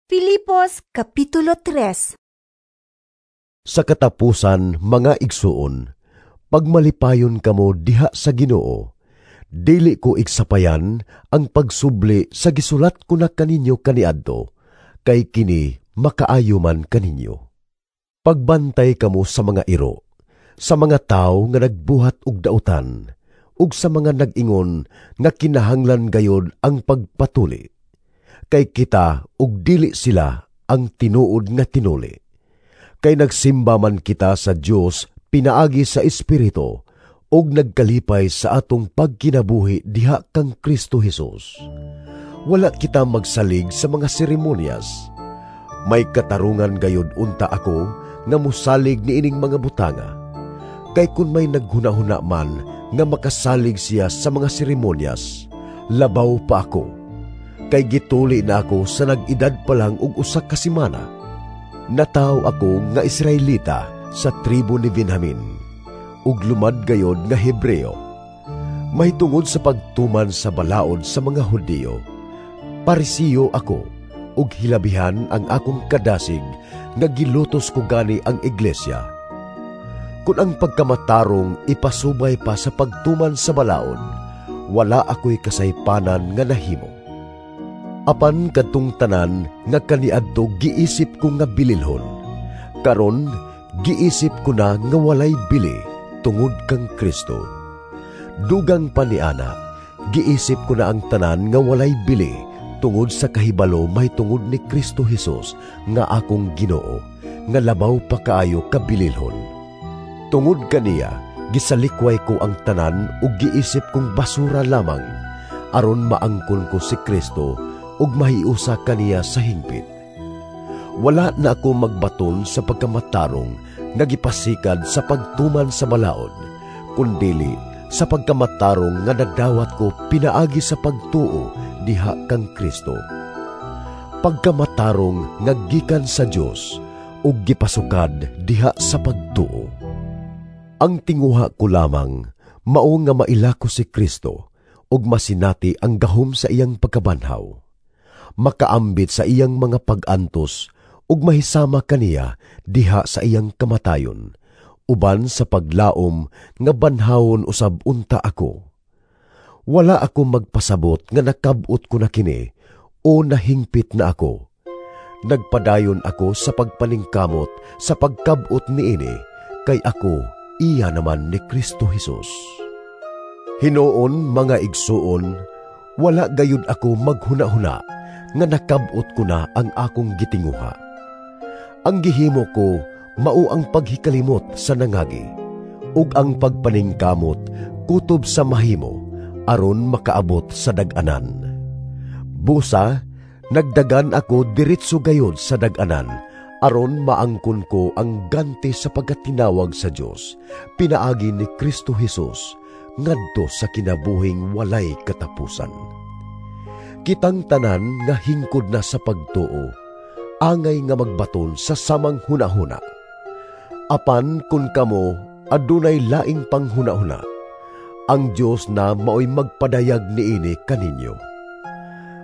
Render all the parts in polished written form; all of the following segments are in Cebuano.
Filipos Kapitulo 3. Sa katapusan, mga igsuon, pagmalipayon kamo diha sa Ginoo. Dili ko igsapayan ang pagsubli sa gisulat ko na kaninyo kaniadto, kay kini makaayo man kaninyo. Pagbantay kamo sa mga iro, sa mga tawo nga nagbuhat og dautan, ug sa mga nag-ingon nga kinahanglan gayod ang pagpatuli. Kay kita ug dili sila ang tinuod nga tinuli. Kay nagsimba man kita sa Dios pinaagi sa Espiritu ug nagkalipay sa atong pagkinabuhi diha kang Kristo Hesus. Wala kita magsalig sa mga seremonyas. May katarungan gayod unta ako nga mosalig niining mga butanga. Kay kun may naghunahuna man nga makasalig siya sa mga seremonyas, labaw pa ako. Kay gituli na ako sa nag-edad pa lang og usa ka semana. Nataw ako nga Israelita sa tribo ni Benjamin, ug lumad gayod nga Hebreo. Mahitungod sa pagtuman sa balaod sa mga Hudiyo, Parisiyo ako, ug hilabihan ang akong kadasig nga gilutos ko gani ang iglesia. Kun ang pagkamatarong ipasubay pa sa pagtuman sa balaod, wala ako'y kasaypanan nga nahimo. Apan kadtong tanan nga kaniadto giisip ko nga bililhon, karon giisip ko na nga walay bili tungod kang Kristo. Dugang pa niana, giisip ko na ang tanan nga walay bili tungod sa kahibalo mahitungod ni Kristo Hesus nga akong Ginoo, nga labaw pa kaayo kabililhon. Tungod kaniya, gisalikway ko ang tanan ug giisip kong basura lamang, aron maangkon ko si Kristo ug mahiusa kaniya sa hingpit. Wala na ako magbaton sa pagkamatarong nga gipasikad sa pagtuman sa balaod, kundili sa pagkamatarong nga nadawat ko pinaagi sa pagtuo diha kang Kristo. Pagkamatarong nga gikan sa Dios ug gipasukad diha sa pagtuo. Ang tinguha ko lamang mao nga maila ko si Kristo ug masinati ang gahom sa iyang pagkabanhaw, makaambit sa iyang mga pag-antos ug mahisama kaniya diha sa iyang kamatayon, uban sa paglaom nga banhawon usab unta ako. Wala ako magpasabot nga nakab-ot ko na kini o nahingpit na ako. Nagpadayon ako sa pagpaningkamot sa pagkab-ot niini, kay ako iya naman ni Kristo Hesus. Hinuon, mga igsuon, wala gayud ako maghuna-huna nga nakab-ot ko na ang akong gitinguha. Ang gihimo ko mao ang paghikalimot sa nangagi, ug ang pagpaningkamot kutob sa mahimo aron makaabot sa dag-anan. Busa, nagdagan ako diretso gayod sa dag-anan aron maangkon ko ang ganti sa pagkatinawag sa Dios pinaagi ni Kristo Hesus ngadto sa kinabuhing walay katapusan. Kitang tanan nga hingkod na sa pagtuo, angay nga magbaton sa samang hunahuna. Apan kun kamo adunay laing panghunahuna, ang Dios na maoy magpadayag niini kaninyo.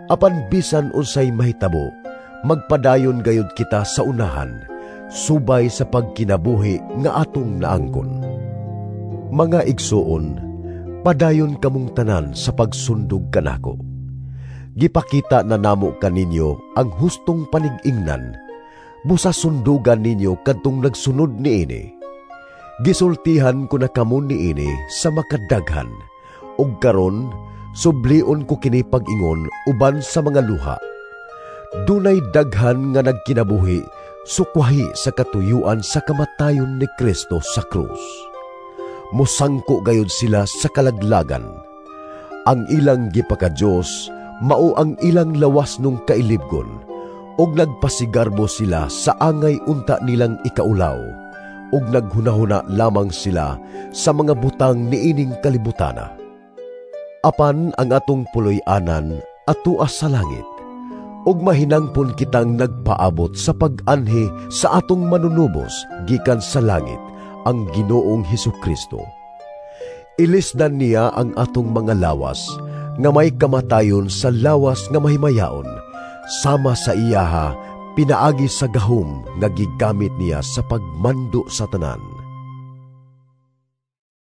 Apan bisan unsay mahitabo, magpadayon gayud kita sa unahan, subay sa pagkinabuhi nga atong naangkon. Mga igsuon, padayon kamong tanan sa pagsundog kanako. Gipakita na namo kaninyo ang hustong panig-ingnan, busa sundugan ninyo kadtong nagsunod niini. Gisultihan ko na kamo niini sa makadaghan, ug karon sublion ko kini pag-ingon uban sa mga luha. Dunay daghan nga nagkinabuhi sukwahi sa katuyuan sa kamatayon ni Kristo sa krus. Mosangko gayud sila sa kalaglagan. Ang ilang gipaka-Dios mao ang ilang lawas nung kailibgon, ug nagpasigarbo sila sa angay unta nilang ikaulaw, ug naghunahuna lamang sila sa mga butang niining kalibutana. Apan ang atong puloy-anan atua sa langit, ug mahinangpon kitang nagpaabot sa pag-anhi sa atong manunubos gikan sa langit, ang Ginoong Hesukristo. Ilisdan niya ang atong mga lawas nga may kamatayon sa lawas nga mahimayaon, sama sa iyaha Pinaagi sa gahom nga gigamit niya sa pagmando sa tanan.